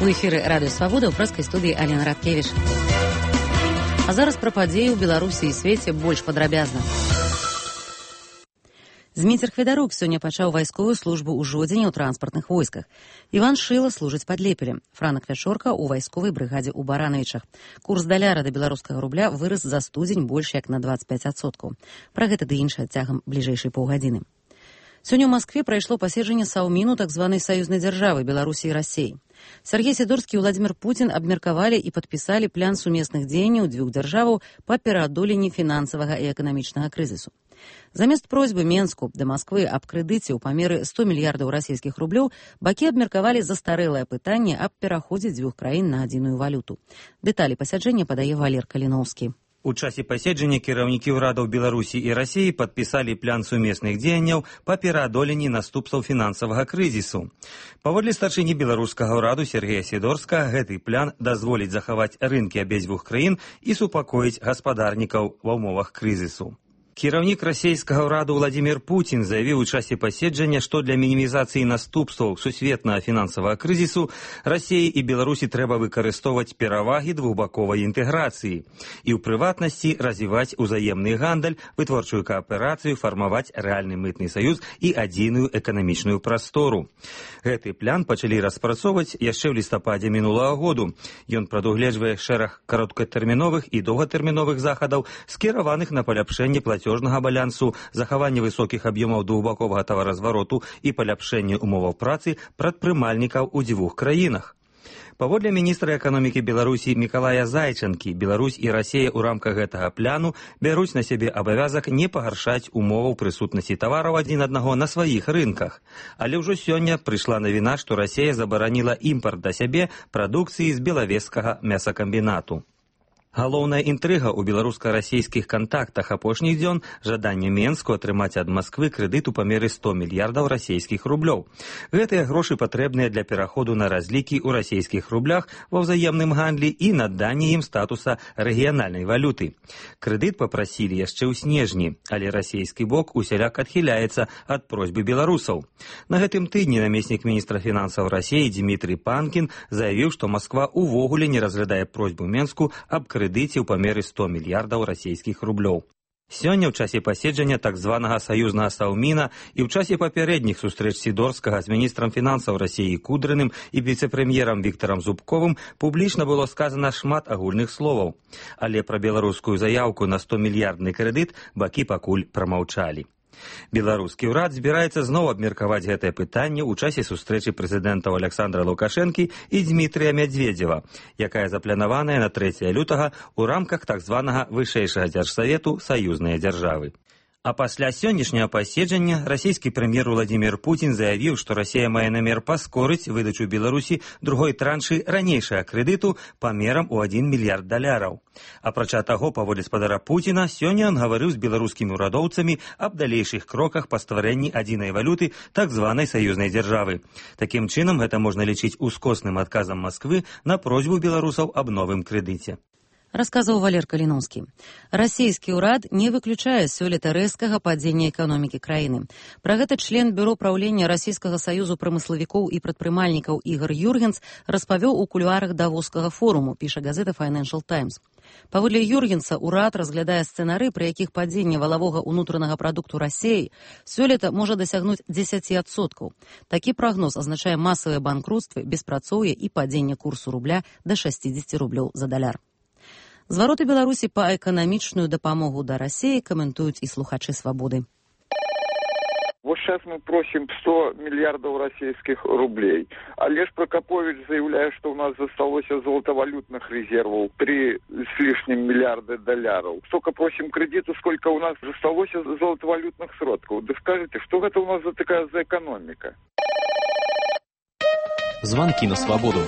У эфіры радыё Свабода, ў прэскай студыі Алена Радкевіч. А зараз пра падзеі ў Беларусі і свеце больш падрабязна. Зміцер Хведарук сёння пачаў вайсковую службу ў Жодзіне ў транспартных войсках. Іван Шыла служыць пад Лепелем. Франак Вячорка ў вайсковай брыгадзе ў Баранавічах. Курс даляра да беларускага рубля вырас за студзень больш як на 25%. Пра гэта ды іншае цягам бліжэйшай паўгадзіны. Сёння ў Маскве прайшло паседжанне Саўміну так званай саюзнай дзяржавы Беларусі і Расіі. Сергей Сідорскі і Владзімір Пуцін абмеркавалі і падпісалі план сумесных дзеянняў дзвюх дзяржаваў па пераадоленні фінансавага і эканамічнага крызісу. Замест просьбы Менску да Масквы аб крэдыце ў памеры 100 мільярдаў расійскіх рублёў бакі абмеркавалі застарэлае пытанне аб пераходзе дзвюх краін на адзіную валюту. Дэталі пасяджэння падае Валер Каліноўскі. У часе паседжання кіраўнікі ўрадаў Беларусі і Расіі падпісалі план сумесных дзеянняў па пераадоленні наступстваў фінансавага крызісу. Паводле старшыні беларускага ўраду Сергея Сідорска, гэты план дазволіць захаваць рынкі абедзвюх краін і супакоіць гаспадарнікаў ва ўмовах крызісу. Кіраўнік расійскага ўраду Владзімір Пуцін заявіў у часе паседжання, што для мінімізацыі наступстваў сусветнага фінансавага крызісу Расіі і Беларусі трэба выкарыстоўваць перавагі двухбаковай інтэграцыі і, ў прыватнасці, развіваць узаемны гандаль, вытворчую кааперацыю, фармаваць рэальны мытны саюз і адзіную эканамічную прастору. Гэты план пачалі распрацоўваць яшчэ ў лістападзе мінулага году. Ён прадугледжвае шэраг кароткатэрміновых і доўгатэрміновых захадаў, скіраваных на паляпшэнне плацёжнага балансу, захаванне высокіх аб'ёмаў двухбаковага таваразвароту і паляпшэнне умоваў працы прадпрымальнікаў у дзвюх краінах. Паводле міністра эканомікі Беларусі Мікалая Зайчанкі, Беларусь і Расія ў рамках гэтага пляну бяруць на сябе абавязак не пагаршаць умоваў прысутнасці тавараў адзін аднаго на сваіх рынках. Але ўжо сёння прыйшла навіна, што Расія забараніла імпарт да сябе прадукцыі з белавежскага мясакамбінату. Галоўная інтрыга ў беларуска-расійскіх кантактах апошніх дзён – жаданне Менску атрымаць ад Масквы крэдыт у памеры 100 мільярдаў расійскіх рублёў. Гэтыя грошы патрэбныя для пераходу на разлікі ў расійскіх рублях ва ўзаемным гандлі і наданне ім статуса рэгіянальнай валюты. Крэдыт папрасілі яшчэ ў снежні, але расійскі бок усяляк адхіляецца ад просьбы беларусаў. На гэтым тыдні намеснік міністра фінансаў Расіі Дмітрый Панкін заявіў, што Масква увогуле не разглядае просьбу Менску аб крэдыце ў памеры 100 мільярдаў расійскіх рублёў. Сёння ў часе паседжання так званага саюзнага Саўміна і ў часе папярэдніх сустрэч Сідорскага з міністрам фінансаў Расіі Кудрыным і віцэ-прэм'ерам Віктарам Зубковым публічна было сказана шмат агульных словаў. Але пра беларускую заяўку на 100-мільярдны крэдыт бакі пакуль прамаўчалі. Беларускі ўрад збіраецца зноў абмеркаваць гэтае пытанне ў часе сустрэчы прэзідэнтаў Александра Лукашэнкі і Дмітрыя Мядзведзева, якая запланаваная на 3 лютага ў рамках так званага вышэйшага дзяржсавету саюзныя дзяржавы. А пасля сённяшняга паседжання расійскі прэм'ер Владзімір Пуцін заявіў, што Расія мае намер паскорыць выдачу Беларусі другой траншы ранейшага крэдыту памерам у 1 мільярд даляраў. Апрача таго, паводле спадара Пуціна, сёння ён гаварыў з беларускімі ўрадоўцамі аб далейшых кроках па стварэнні адзінай валюты так званай саюзнай дзяржавы. Такім чынам, гэта можна лічыць ускосным адказам Масквы на просьбу беларусаў аб новым крэдыце. Расказаў Валер Каліноўскі. Расійскі ўрад не выключае сёлета рэзкага падзення эканомікі краіны. Пра гэта член бюро праўлення Расійскага саюзу прамыславікоў і прадпрымальнікаў Ігор Юргенс распавёў у кулуарах давоскага форуму, піша газета Financial Times. Паводле Юргенса, ўрад разглядае сцэнары, пры якіх падзенне валавога ўнутранага прадукту Расіі сёлета можа дасягнуць 10%. Такі прагноз азначае масавыя банкрутствы, беспрацоўе і падзенне курсу рубля да 60 рублёў за даляр. Звароты Беларусі па эканамічную дапамогу да Расіі каментуюць і слухачы Свабоды. Вот сейчас мы просим 100 миллиардов российских рублей. Олеж Прокопович заявляет, что у нас засталось золотовалютных резервов 3 с лишним миллиарда долларов. Столько просим кредиту, сколько у нас засталось золотовалютных сродков. Да скажите, что это у нас за такая за экономика? Звонки на Свободу.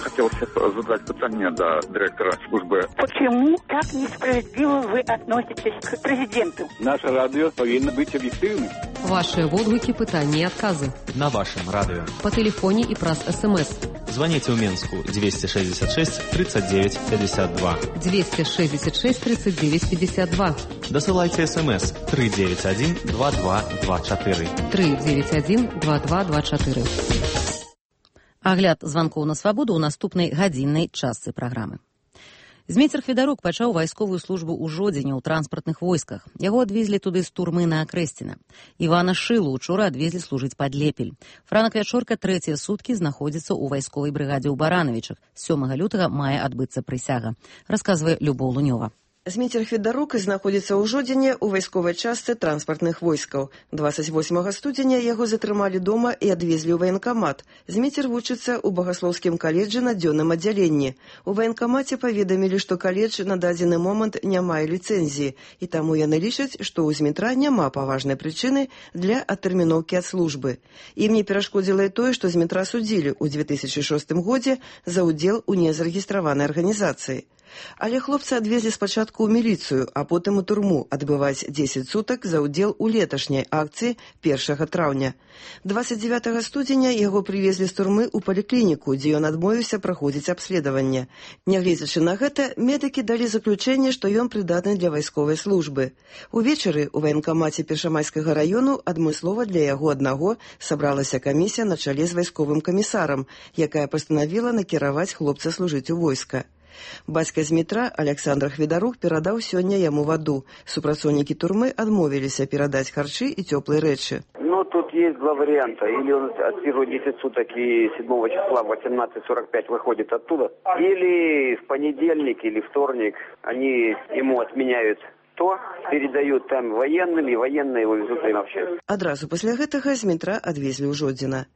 Хотел задать питание до директора службы. Почему так несправедливо вы относитесь к президенту? Наше радио повинно быть объективным. Ваши водгуки, пытания и отказы. На вашем радио. По телефоне и праз СМС. Звоните в Минску 266 39 52. 266 39 52. Досылайте СМС 391 2224. 391 2224. Агляд званкоў на свабоду ў наступнай гадзіннай частцы праграмы. Змейцер Хведарук пачаў вайсковую службу ў Жодзіне ў транспартных войсках. Яго адвезлі туды з турмы на Акрэсціна. Івана Шылу учора адвезлі служыць пад Лепель. Франак Вячорка трэція суткі знаходзіцца ў вайсковай брыгадзе ў Баранавічах. 7 лютага мае адбыцца прысяга, расказвае Любоў Лунёва. Змейцер Хведарук знаходзіцца ў Жодзіне ў вайсковай частцы транспартных войскаў. 28 студзеня яго затрымалі дома і адвезлі ў ваенкамат. Змейцер вучыцца ў багаслоўскім каледжы на дзённым аддзяленні. У ваенкамаце паведамілі, што каледж на дадзены момант не мае ліцэнзіі, і таму яны лічаць, што ў Змітра няма паважнай прычыны для адтэрміноўкі ад службы. Ім не перашкодзіла і тое, што Змітра судзілі ў 2006 годзе за ўдзел у незарэгістраванай арганізацыі. Але хлопца адвезлі спачатку ў міліцыю, а потым у турму адбываць 10 сутак за ўдзел у леташняй акцыі 1 траўня. 29 студзеня яго прывезлі з турмы ў паліклініку, дзе ён адмовіўся праходзіць абследаванне. Нягледзячы на гэта, медыкі далі заключэнне, што ён прыдатны для вайсковай службы. Увечары ў ваенкамаце Першамайскага раёну адмыслова для яго аднаго сабралася камісія на чале з вайсковым камісарам, якая пастанавіла накіраваць хлопца служыць у войска. Бацька Змітра, Александр Хведарук, перадаў сёння яму ваду. Супрацоўнікі турмы адмовіліся перадаць харчы і цёплыя рэчы. Тут есть два варианта. Или он отсиживает 10 суток и 7 числа в 18:45 выходит оттуда. Или в понедельник или вторник они ему отменяют то, передают там военным, и военные его везут на общество. Адразу пасля гэтага Змітра адвезлі ў Жодзіна.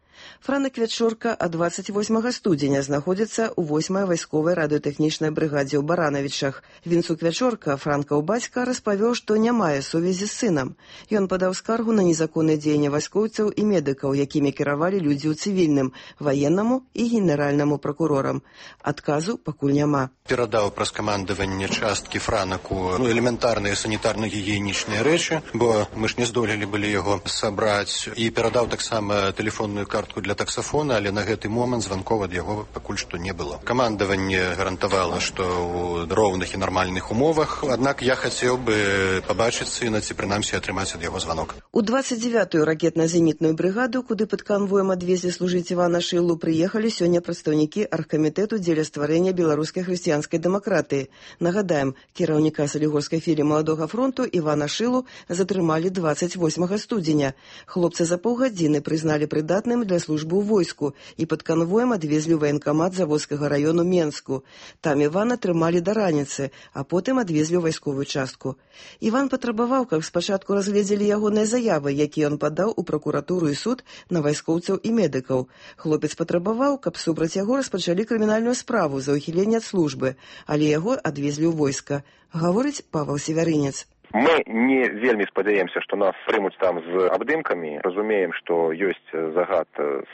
Франак Вячорка ад 28 студзеня знаходзіцца ў 8-й вайсковай радыётэхнічнай брыгадзе ў Баранавічах. Вінцук Вячорка, Франкаў бацька, распавёў, што не мае сувязі з сынам. Ён падаў скаргу на незаконнае дзеянне вайскоўцаў і медыкаў, якімі кіравалі людзі ў цывільным, ваеннаму і генеральнаму пракурорам. Адказу пакуль няма. Перадаў праз камандаванне часткі Франаку элементарныя санітарна-гігіенічныя рэчы, бо мы ж не здолелі былі яго сабраць, і перадаў таксама тэлефонную картку для таксафона, але на гэты момант званков ад яго пакуль што не было. Камандаванне гарантавала, што ў роўных і нармальных умовах, аднак я хацеў бы пабачыць сына ці прынамсі атрымаць ад яго званок. У 29-ю ракетна-зенітную брыгаду, куды пад канвоем адвезлі служыць Івана Шылу, прыехалі сёння прадстаўнікі аргкамітэту дзеля стварэння беларускай хрысціянскай дэмакратыі. Нагадаем, кіраўніка Салігорскай філіі Маладога фронту Івана Шылу затрымалі 28 студзеня. Хлопца за паўгадзіны прызналі прыдатным для службы ў войску і пад канвоем адвезлі ў ваенкамат Заводскага раёну Менску. Там Івана трымалі да раніцы, а потым адвезлі ў вайсковую частку. Іван патрабаваў, каб спачатку разгледзелі ягоныя заявы, якія ён падаў у пракуратуру і суд на вайскоўцаў і медыкаў. Хлопец патрабаваў, каб супраць яго распачалі крымінальную справу за ўхіленне ад службы, але яго адвезлі ў войска. Гаворыць Павел Севярынец. Мы не вельмі спадзяемся, што нас прымуць там з абдымкамі. Разумеем, што ёсць загад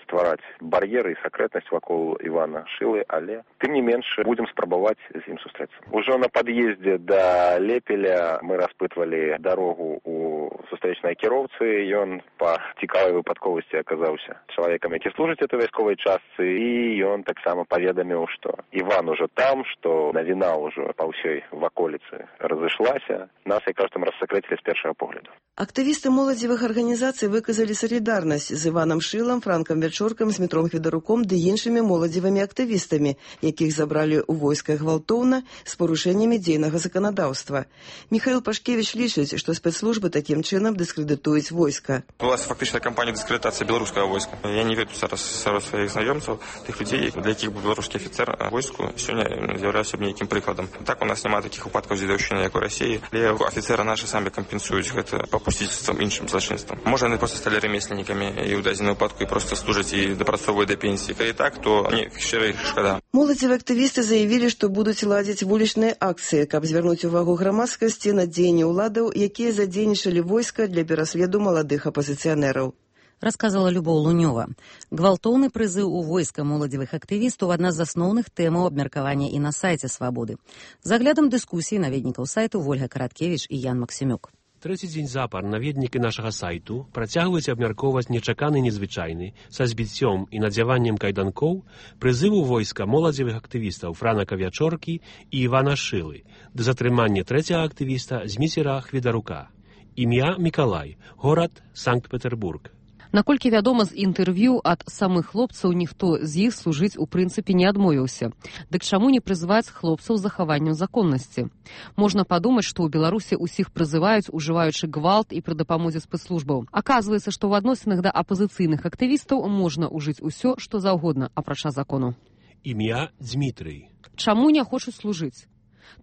ствараць бар'еры і сакрэтнасць вакол Івана Шылы, але тым не менш будзем спрабаваць з ім сустрэцца. Ужо на пад'ездзе да Лепеля мы распытвалі дарогу у сустрэчнай кіроўцы. Ён па цікавай выпадковасці аказаўся чалавекам, які служыць этой вайсковай частцы, і ён таксама паведаміў, што Іван ужо там, што навіна ўжо па ўсёй ваколіцы разышлася. Нас, як там рассакрэцілі з першага погляду. Актывісты моладзевых арганізацый выказалі салідарнасць з Іванам Шылам, Франкам Вячоркам, Змітром Хведаруком ды іншымі моладзевымі актывістамі, якіх забралі ў войска гвалтоўна з парушэннямі дзейнага заканадаўства. Михаил Пашкевич лічыць, што спецслужбы такім чынам дыскрэдытуюць войска. Была фактычная кампанія дыскрэдытацыі беларускага войска. Я не веду зараз сярод сваіх знаёмцаў тых людзей, для якіх бы беларускі афіцэр войску сёння з'яўляўся б нейкім прыкладам. Так у нас няма такіх выпадкаў дзедаўшчыны, як у Расіі, але афіцэры наши самі кампенсуюць гэта папусціцтвам, іншым злачынствам. Можа, яны проста сталі ремесленнікамі і ў дадзеным выпадку і проста служаць і дапрацоўваюць да пенсіі. Калі так, то мне шчыра іх шкада. Моладзевыя актывісты заявілі, што будуць ладзіць вулічныя акцыі, каб звярнуць увагу грамадскасці на дзеянні ўладаў, якія задзейнічалі войска для пераследу маладых апазіцыянераў. Расказала Любоў Лунёва. Гвалтоўны прызыў у войска моладзевых актывістаў адна з асноўных тэмаў абмеркавання і на сайце Свабоды. За аглядам дыскусіі наведнікаў сайту Вольга Караткевіч і Ян Максімюк. Трэці дзень запар наведнікі нашага сайту працягваюць абмяркоўваць нечаканы незвычайны са збіццём і надзяваннем кайданкоў прызыву войска моладзевых актывістаў Франака Вячоркі і Івана Шылы да затрымання трэцяга актывіста Зміцера Хведарука. Імя Мікалай, горад Санкт-Петербург. Наколькі вядома з інтэрв'ю ад самых хлопцаў, ніхто з іх служыць у прынцыпе не адмовіўся. Дык чаму не прызываць хлопцаў з захаваннем законнасці? Можна падумаць, што ў Беларусі ўсіх прызываюць, ужываючы гвалт і пры дапамозе спецслужбаў. Аказваецца, што ў адносінах да апазіцыйных актывістаў можна ўжыць усё, што заўгодна, апрача закону. Імя Дмітрый. Чаму не хочуць служыць?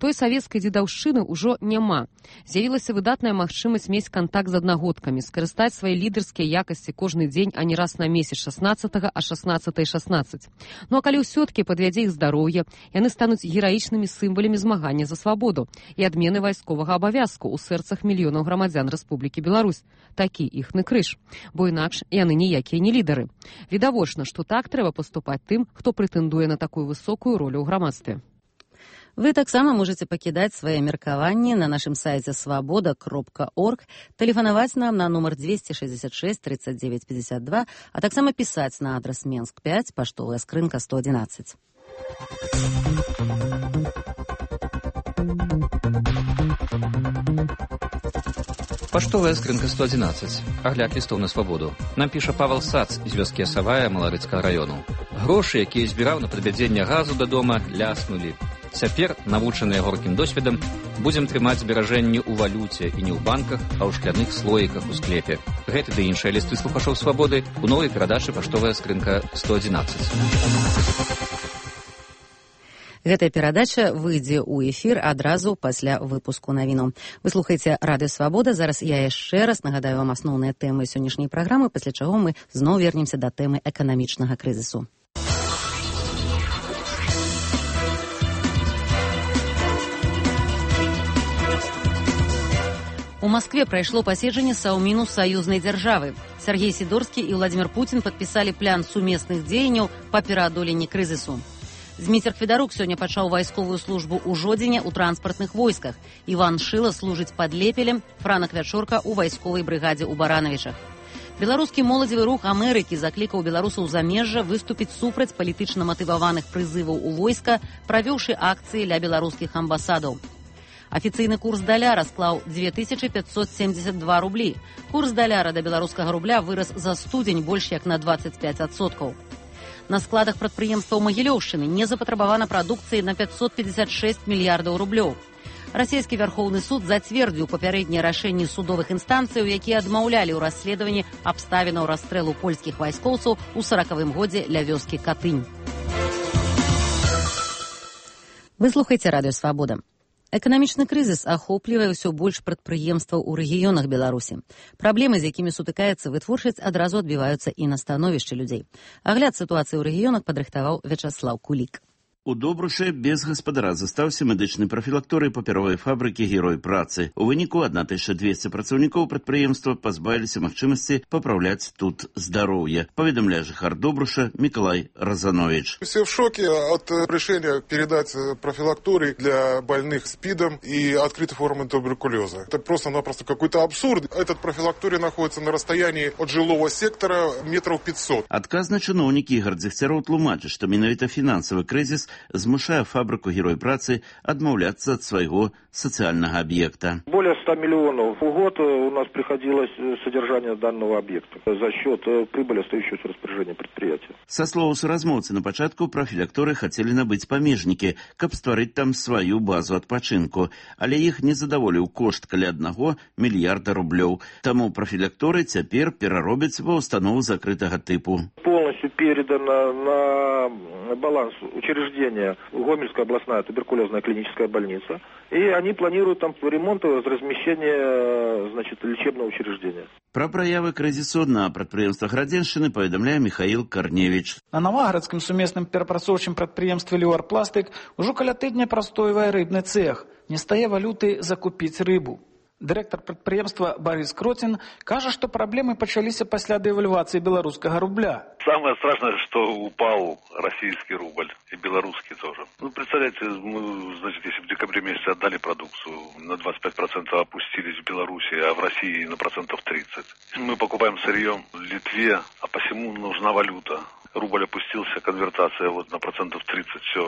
Той савецкай дзедаўшчыны ўжо няма. З'явілася выдатная магчымасць мець кантакт з аднагодкамі, скарыстаць свае лідарскія якасці кожны дзень, а не раз на месяц 16-го, а 16-й 16. Ну а калі ўсё-ткі падвядзе іх здароўе, яны стануць гераічнымі сімвалямі змагання за свабоду і адмены вайсковага абавязку ў сэрцах мільёнаў грамадзян Рэспублікі Беларусь. Такі іхны крыж. Бо інакш яны ніякія не лідары. Відавочна, што так трэба паступаць тым, хто прэтэндуе на такую высокую ролю ў грамадстве. Вы таксама можете пакідаць свае меркаванні на нашым сайце свабода.орг, тэлефанаваць нам на нумар 266 39 52, а таксама пісаць на адрас Менск 5, паштовая скрынка 111. Паштовая скрынка 111. Агляд лістоў на свабоду. Нам піша Павел Сац з вёскі Асавая Маларыцкага району. Грошы, якія збіраў на падвядзенне газу да дома, ляснулі. Цяпер, навучаныя горкім досведам, будзем трымаць зберажэнні ў валюце і не ў банках, а ў шкляных слоіках у склепе. Гэты ды іншыя лісты слухачоў свабоды у новай перадачы «Паштовая скрынка 111». Гэтая перадача выйдзе ў эфір адразу пасля выпуску навіну. Вы слухаеце Радыё Свабода. Зараз я яшчэ раз нагадаю вам асноўныя тэмы сённяшняй праграмы, пасля чаго мы зноў вернемся да тэмы эканамічнага крызісу. У Москве прайшло паседжанне Саўміну саюзнай дзяржавы. Сергей Сидорскі і Владимир Путин падпісалі план сумесных дзеянняў па пераадоленні крызісу. Зміцер Федарук сёння пачаў вайсковую службу ў Жодзіне ў транспартных войсках. Іван Шыла служыць пад Лепелем, Франак Вячорка ў вайсковай брыгадзе ў Баранавічах. Беларускі моладзевы рух Амерыкі заклікаў беларусаў замежжа выступіць супраць палітычна матываваных прызываў у войска, правёўшы акцыі ля беларускіх амбасадаў. Афіцыйны курс даляра склаў 2572 рублі. Курс даляра да беларускага рубля вырас за студзень больш як на 25%. На складах прадпрыемстваў Магілёўшчыны не запатрабавана прадукцыі на 556 мільярдаў рублёў. Расійскі Вярхоўны суд зацвердзіў папярэднія рашэнні судовых інстанцыяў, якія адмаўлялі ў расследаванні абставінаў расстрэлу польскіх вайскоўцаў у 40-м годзе ля вёскі Катынь. Вы слухаеце Радыё Свабода. Эканамічны крызіс ахоплівае ўсё больш прадпрыемстваў у рэгіёнах Беларусі. Праблемы, з якімі сутыкаецца вытворчасць, адразу адбіваюцца і на становішчы людзей. Агляд сітуацыі ў рэгіёнах падрыхтаваў Вячаслаў Кулік. У Добруше без гаспадара застаўся медычны прафілакторый папяровай фабрыкі «Герой працы». У выніку 1200 працаўнікоў прадпрыемства пазбавіліся магчымасці папраўляць тут здароўе, паведамляе жыхар Добруша Миколай Розанович. Все в шоке от решения передать профилакторий для больных СПИДом и открытой формы туберкулеза. Это просто-напросто какой-то абсурд. Этот профилакторий находится на расстоянии от жилого сектора метров 500. Адказны чыноўнік Ігор Дзегцяроў тлумачыць, што менавіта фінансавы крызіс змушае фабрыку «Герой працы» адмаўляцца ад свайго сацыяльнага аб'екта. Более 100 миллионов в год у нас приходилось содержание данного объекта за счет прибыли, остающейся в распоряжении предприятия. Са словаў суразмоўцы, на пачатку прафілакторы хацелі набыць памежнікі, каб стварыць там сваю базу адпачынку, але іх не задаволіў кошт каля 1 мільярда рублёў. Таму прафілакторы цяпер пераробяць ва установу закрытага тыпу. Полностью передана на баланс учреждения Гомельская областная туберкулезная клиническая больница, и они планируют там ремонт и размещение, лечебного учреждения. Пра праявы крызісу на прадпрыемствах Радзеншчыны паведамляе Михаил Корневич. На Новагарадскім сумесным перапрацоўчым прадпрыемстве «Люар-Пластык» ужо каля тыдня прастойвае рыбны цэх. Не стае валюты закупіць рыбу. Дырэктар прадпрыемства Борис Кротин кажа, што праблемы пачаліся пасля дэвальвацыі беларускага рубля. Самое страшное, что упал российский рубль и белорусский тоже. Представляете, мы, если в декабре месяце отдали продукцию, на 25% опустились в Беларуси, а в России на 30%. Мы покупаем сырье в Литве, а посему нужна валюта. рубль опустился, конвертация вот на 30%, все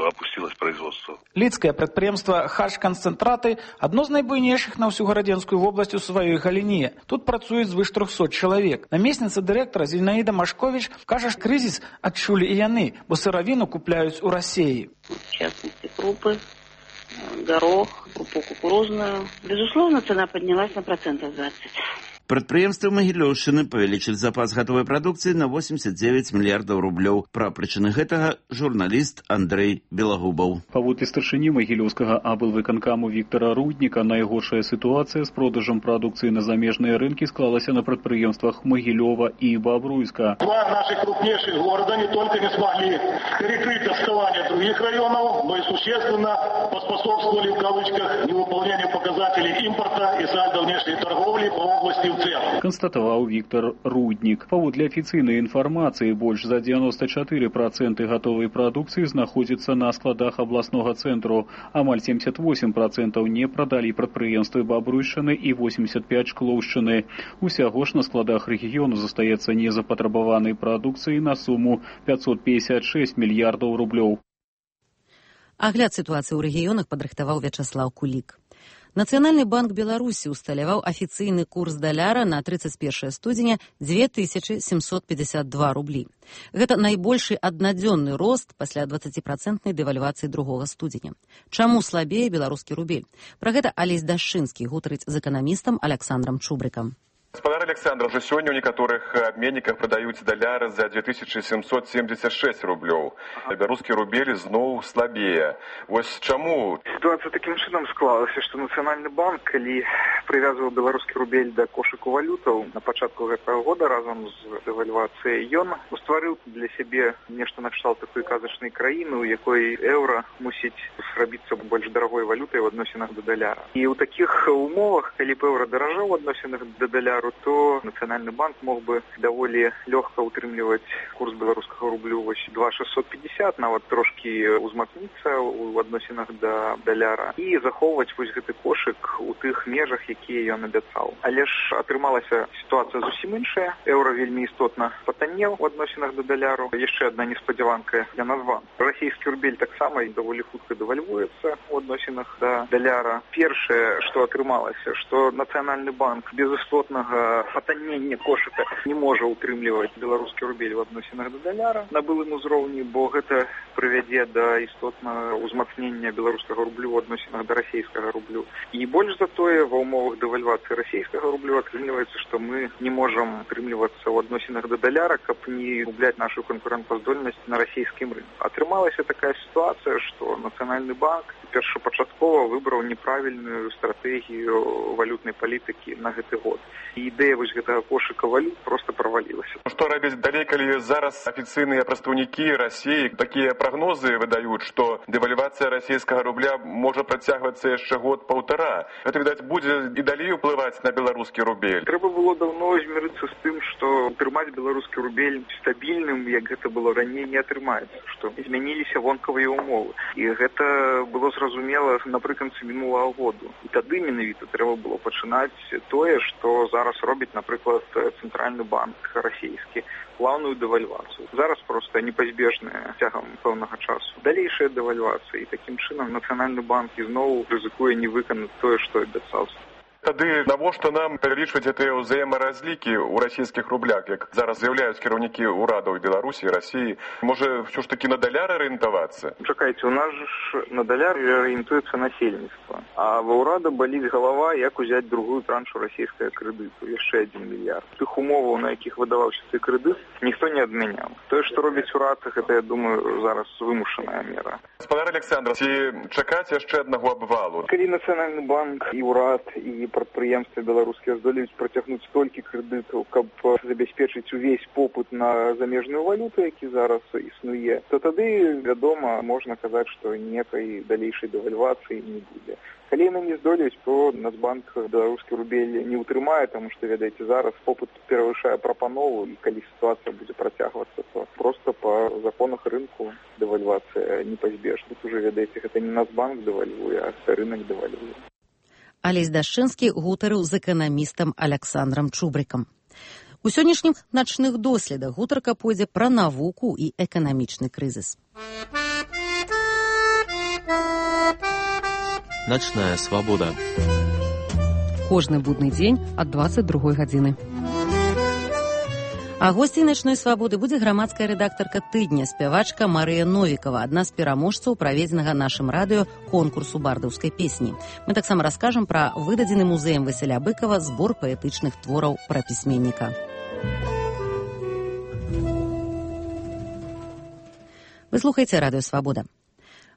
опустилось производство. Лідскае прадпрыемства «Хаш-канцэнтраты» адно з найбуйнейшых на ўсю гарадзенскую вобласць у сваёй галіне. Тут працуюць звыш 300 чалавек. Намесніца дырэктара Зінаіда Машковіч кажа, што крызіс адчулі і яны, бо сыравіну купляюць у Расіі. В частности, крупы, горох, крупу кукурузную. Безусловно, цена поднялась на 20%. Прадпрыемствы Магілёўшчыны павялічылі запас гатовай прадукцыі на 89 мільярдаў рублёў. Пра прычыны гэтага журналіст Андрэй Белагубаў. Паводле старшыні Магілёўскага аблвыканкаму Віктара Рудніка, найгоршая сітуацыя з продажам прадукцыі на замежныя рынкі склалася на прадпрыемствах Магілёва і Бобруйска. Два наших крупнейших города не только не смогли перекрыть отставание других районов, но и существенно поспособствовали в кавычках невыполнению показателей импорта и сальдо внешней торговли по области констатаваў Віктор Руднік. Паводле афіцыйнай інфармацыі, больш за 94% гатовай прадукцыі знаходзіцца на складах абласнога цэнтру. Амаль 78% не прадалі прадпрыемствы Бабруйшчыны і 85% Шклоўшчыны. Усяго ж на складах рэгіёну застаецца незапатрабаванай прадукцыі на суму 556 мільярдаў рублёў. Агляд сітуацыі ў рэгіёнах падрыхтаваў Вячаслаў Кулік. Нацыянальны банк Беларусі усталяваў афіцыйны курс даляра на 31 студзеня 2752 рублі. Гэта найбольшы аднадзённы рост пасля 20% дэвальвацыі 2 студзеня. Чаму слабее беларускі рубель? Пра гэта Алесь Дашчынскі гутарыць з эканамістам Александром Чубрыкам. Господар Александр, уже сегодня у некоторых обменниках продаются доллары за 2776 рублёў. Белорусский рубель зноў слабее. Вось чаму? Ситуация таким чином склалася, что Национальный банк, калі привязывал белорусский рубель до кошыку валютаў на пачатку гэтага года разом з дэвальвацыяй ён стварыў для сябе нешта накшталт такой казачнай краіны, у якой еўра мусіць зрабіцца больш дарагой валютай в адносінах да даляра. І ў такіх умовах, калі б еўра даражаў у адносінах да даляра, то Национальный банк мог бы довольно легко утрымліваць курс белорусского рублю 2,650, нават трошки узмацніцца у адносінах да даляра і захоўваць вось гэты кошык у тых межах, якія ён абяцаў. Але ж атрымалася сітуацыя зусім іншая. Еўра вельмі істотна патаннеў у адносінах да даляру. Яшчэ адна неспадзяванка для назван. Расійскі рубель таксама даволі хутка дэвальвуецца у адносінах да даляра. Першае, што атрымалася, што Нацыянальны банк без істотнага патаннення кошыка не можа утрымліваць беларускі рубель в адносінах да даляра на былым узроўні, бо гэта прывядзе да істотнага ўзмацнення беларускага рублю в адносінах да расійскага рублю. І больш за тое, ва ўмовах дэвальвацыі расійскага рублю атрымліваецца, што мы не можам утрымлівацца ў адносінах да даляра, каб не губляць нашу канкурэнтаздольнасць на расійскім рынку. Атрымалася такая сітуацыя, што Нацыянальны банк першапачаткова выбраў неправільную стратэгію валютнай палітыкі на гэты год. І ідэя вось гэтага кошыка валют просто правалілася. Што рабіць далей, калі зараз афіцыйныя прадстаўнікі Расіі такія прагнозы выдаюць, што дэвальвацыя расійскага рубля можа працягвацца яшчэ год-паўтара. Гэта, відаць, будзе і далей уплываць на беларускі рубель. Трэба было даўно змірыцца з тым, што утрымаць беларускі рубель стабільным, як гэта было раней, не атрымаецца, што змяніліся вонкавыя умовы. І гэта было зразумела напрыканцы мінулага году. І тады менавіта трэба было пачынаць тое, што зараз робіць, напрыклад, Цэнтральны банк расійскі, плаўную дэвальвацыю. Зараз проста непазбежная цягам пэўнага часу. Далейшая дэвальвацыя, і такім чынам Нацыянальны банк ізноў рызыкуе не выканаць тое, што абяцаўся. Тады навошта нам павялічваць гэтыя ўзаемаразлікі ў расійскіх рублях, як зараз з'яўляюць кіраўнікі ўрадаў Беларусі і Расіі? Можа, ўсё ж такі на даляр арыентавацца? Чакайце, у нас ж на даляр арыентуецца насельніцтва. А ва ўрада баліць галава, як узяць другую траншу расійскага крэдыту, яшчэ 1 мільярд. Тых умоваў, на якіх выдаваўся цей крэдыт, ніхто не адмяняў. Тое, што робіць урад, гэта, я думаю, зараз вымушаная мера. Господар Александр, ці чакаць яшчэ аднаго абвалу? Калі Нацыянальны банк і ўрад і прадпрыемствы беларускія здолеюць працягнуць столькі крэдытаў, каб забяспечыць увесь попыт на замежную валюту, які зараз існуе, то тады, вядома, можна казаць, што ніякай далейшай дэвальвацыі не будзе. Калі яны не здолеюць, то Нацбанк беларускі рубель не ўтрымае, таму што, ведаеце, зараз попыт перавышае прапанову, і калі сітуацыя будзе працягвацца, то проста па законах рынку дэвальвацыя непазбежна. Тут уже, ведаеце, гэта не Нацбанк дэвальвуе, а рынок дэвальвуе. Алесь Дашчынскі гутарыў з эканамістам Александром Чубрыкам. У сённяшніх начных доследах гутарка пойдзе пра навуку і эканамічны крызіс. Ночная свобода. Кожны будны дзень ад 22 гадзіны. А госцей начной свабоды будзе грамадская рэдактарка тыдня, спявачка Марыя Новікова, адна з пераможцаў праведзенага нашым радыё конкурсу бардаўскай песні. Мы таксама раскажам пра выдадзены музеем Васіля Быкова збор паэтычных твораў пра пісьменніка. Вы слухаеце радыё Свабода.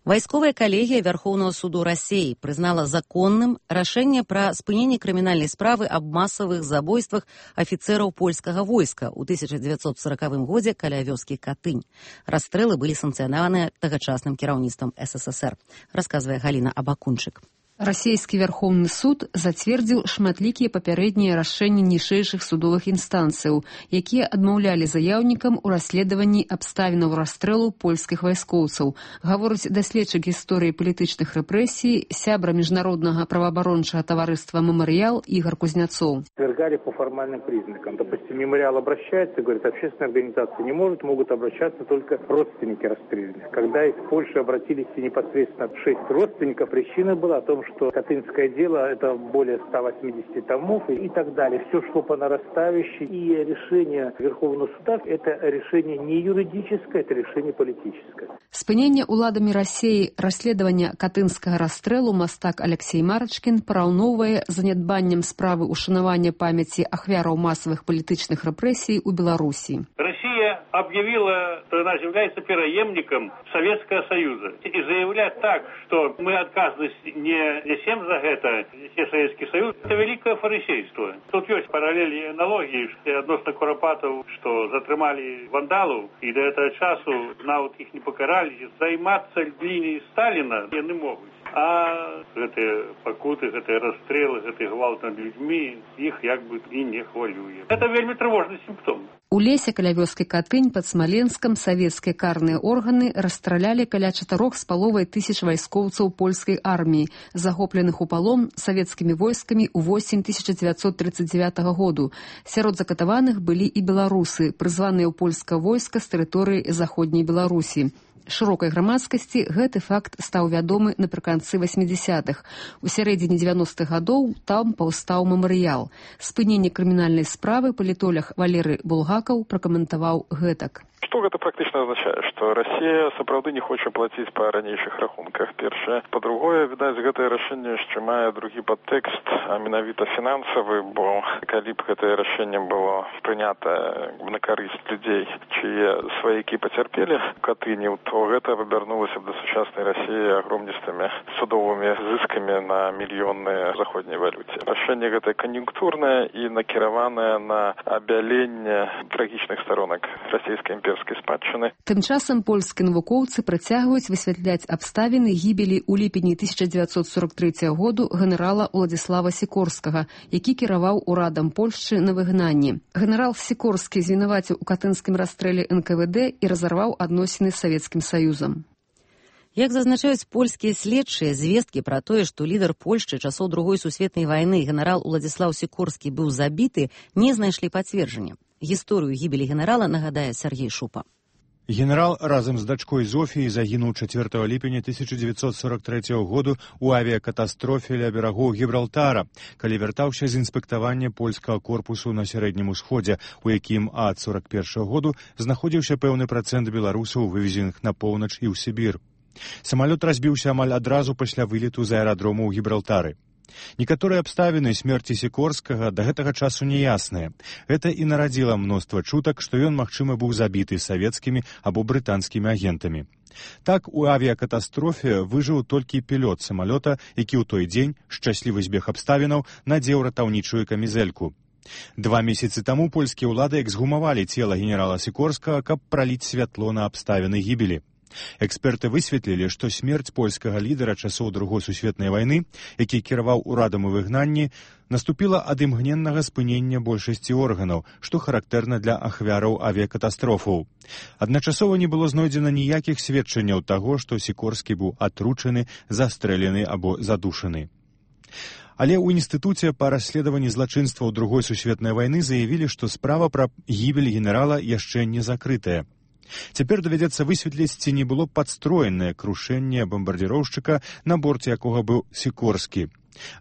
Вайсковая калегія Вярхоўнага суду Расіі прызнала законным рашэнне пра спыненне крымінальнай справы аб масавых забойствах афіцэраў польскага войска ў 1940 годзе каля вёскі Катынь. Расстрэлы былі санкцыянаваныя тагачасным кіраўніцтвам СССР, расказвае Галіна Абакунчык. Расійскі Вярхоўны суд зацвердзіў шматлікія папярэднія рашэнні ніжэйшых судовых інстанцыяў, якія адмаўлялі заяўнікам у расследаванні абставінаў расстрэлу польскіх вайскоўцаў, гаворыць даследчык гісторыі палітычных рэпрэсій, сябра міжнароднага праваабарончага таварыства «Мемориал» Игорь Кузнецов. Свергали по формальным признакам. Допустим, «Мемориал» обращается, говорит, общественная организация не может, могут обращаться только родственники расстрелянных. Когда из Польши обратились непосредственно 6 родственников, причина была о том, что Катынское дело – это более 180 томов и так далее. Все шло по нарастающей. И решение Верховного суда – это решение не юридическое, это решение политическое. Спыненне уладамі Расіі расследавання катынскага расстрэлу мастак Алексей Марачкін параўноўвае занядбаннем справы ушанавання памяці ахвяраў масавых палітычных рэпрэсій у Беларусі. Россия объявила, что она является преемником Советского Союза. И заявлять так, что мы отказывались не несем за это, несе Советский Союз, это великое фарисейство. Тут есть параллели и аналогии относно Куропатов, что затрымали вандалов, и до этого часу навод их не покарали. Займаться линией Сталина не могут. А гэтыя пакуты, гэтыя расстрелы, гэтыя гвалт над людьми, их як бы і не хвалюе. Это вельмі тревожный симптом. У лесе каля вёскі Катынь пад Смаленскам савецкія карныя органы расстралялі каля 4,5 тысяч вайскоўцаў польскай арміі, захопленых у палон савецкімі войскамі ў восень 1939 году. Сярод закатаваных былі і беларусы, прызваныя ў польскае войска з тэрыторыі заходняй Беларусі. Шырокай грамадскасці гэты факт стаў вядомы напрыканцы 80-х. У сярэдзіне 90-х гадоў там паўстаў мемарыял. Спыненне крымінальнай справы палітолог Валерый Булгакаў пракаментаваў гэтак. Што гэта практычна азначае? Што Расія сапраўды не хоча плаціць па ранейшых рахунках, першае. Па-другое, відаць, гэтае рашэнне яшчэ мае другі падтэкст, а менавіта фінансавы, бо калі б гэтае рашэнне было прынята на карысць людзей, чые сваякі пацярпелі в Катыні, то гэта абярнулася б да сучаснай Расіі агромністымі судовымі зыскамі на мільённыя заходняй валюце. Рашэнне гэтае кан'юнктурнае і накіраванае на абяленне трагічных сторонак расійскай імперскай спадчыны. Тым часам польскія навукоўцы працягваюць высвятляць абставіны гібелі ў ліпені 1943 году генерала Уладзіслава Сікорскага, які кіраваў урадам Польшчы на выгнанні. Генерал Сікорскі звінаваціў у катынскім расстрэле НКВД і разарваў адносіны з Савецкім Саюзам. Як зазначаюць польскія следчыя, звесткі пра тое, што лідар Польшчы часоў Другой сусветнай вайны генерал Уладзіслаў Сікорскі быў забіты, не знайшлі пацверджання. Гісторыю гібелі генерала нагадае Сергей Шупа. Генерал разам з дачкой Зофіяй загінуў 4 ліпеня 1943 году ў авіякатастрофе ля берагоў Гібралтара, калі вяртаўся з інспектавання польскага корпусу на Сярэднім усходзе, у якім ад 41 году знаходзіўся пэўны працэнт беларусаў, вывезеных на поўнач і ў Сібір. Самалёт разбіўся амаль адразу пасля вылету з аэрадрому ў Гібралтары. Некаторыя абставіны смерці Сікорскага да гэтага часу неясныя. Гэта і нарадзіла мноства чутак, што ён, магчыма, быў забіты савецкімі або брытанскімі агентамі. Так, у авіякатастрофе выжыў толькі пілот самалёта, які ў той дзень, шчаслівы збег абставінаў, надзеў ратаўнічую камізэльку. 2 месяцы таму польскія ўлады эксгумавалі цела генерала Сікорскага, каб праліць святло на абставіны гібелі. Эксперты высветлілі, што смерць польскага лідара часоў Другой сусветнай вайны, які кіраваў урадам у выгнанні, наступіла ад імгненнага спынення большасці органаў, што характэрна для ахвяраў авіякатастрофаў. Адначасова не было знойдзена ніякіх сведчанняў таго, што Сікорскі быў атручаны, застрэлены або задушаны. Але ў інстытуце па расследаванні злачынстваў другой сусветнай вайны заявілі, што справа пра гібель генерала яшчэ не закрытая. Цяпер давядзецца высветліць, ці не было падстроенае крушэнне бамбардзіроўшчыка, на борце якога быў Сікорскі.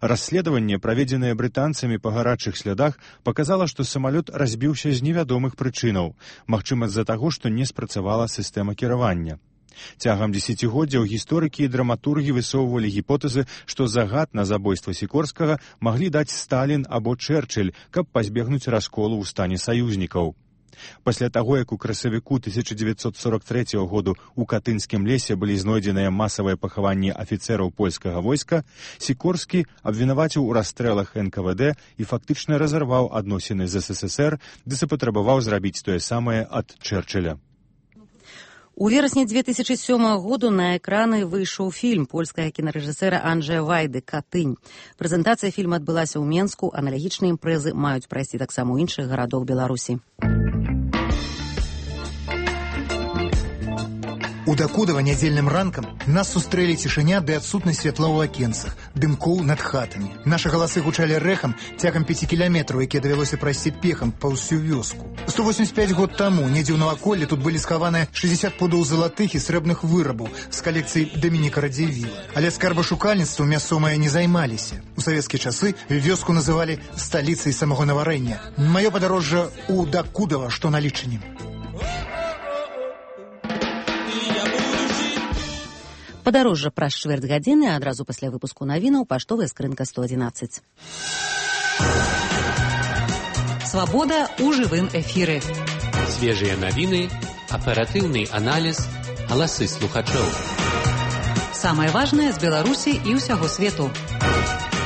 Расследаванне, праведзенае брытанцамі па гарачых слядах, паказала, што самалёт разбіўся з невядомых прычынаў, магчыма з-за таго, што не спрацавала сістэма кіравання. Цягам дзесяцігоддзяў гісторыкі і драматургі высоўвалі гіпотэзы, што загад на забойства Сікорскага маглі даць Сталін або Чэрчыль, каб пазбегнуць расколу ў стане саюзнікаў. Пасля таго, як у красавіку 1943 году ў Катынскім лесе былі знойдзеныя масавыя пахаванні афіцэраў польскага войска, Сікорскі абвінаваціў у расстрэлах НКВД і фактычна разарваў адносіны з СССР, ды запатрабаваў зрабіць тое самае ад Чэрчыля. У верасні 2007 году на экраны выйшаў фільм польскага кінарэжысэра Анджэя Вайды «Катынь». Прэзентацыя фільма адбылася ў Менску, аналагічныя імпрэзы маюць прайсці таксама ў іншых гарадах Беларусі. У Дакудава нядзельным ранкам нас сустрэлі цішыня ды адсутнасць святла ў акенцах, дымкоў над хатамі. Нашы галасы гучалі рэхам цягам 5 кіламетраў, якія давялося прайсці пехам па ўсю вёску. 185 год таму недзе ў наваколлі тут былі схаваныя 60 пудоў залатых і срэбных вырабаў з калекцыі Дамініка Радзівіла. Але скарбашукальніцтвам мясцовыя не займаліся. У савецкія часы вёску называлі сталіцай самагонаварэння. Маё падарожжа ў Дакудава, што на лічыні. Падарожжа праз чвэрць гадзіны, адразу пасля выпуску навінаў, паштовая скрынка 111. Свабода ў жывым эфіры. Свежыя навіны, аператыўны аналіз, галасы слухачоў. Самае важнае з Беларусі і ўсяго свету.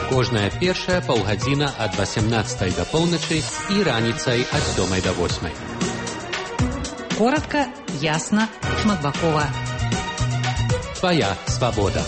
Кожная першая паўгадзіна ад 18 да поўначы і раніцай ад 7 да 8. Коратка, ясна, шматбакова. Твоя свобода.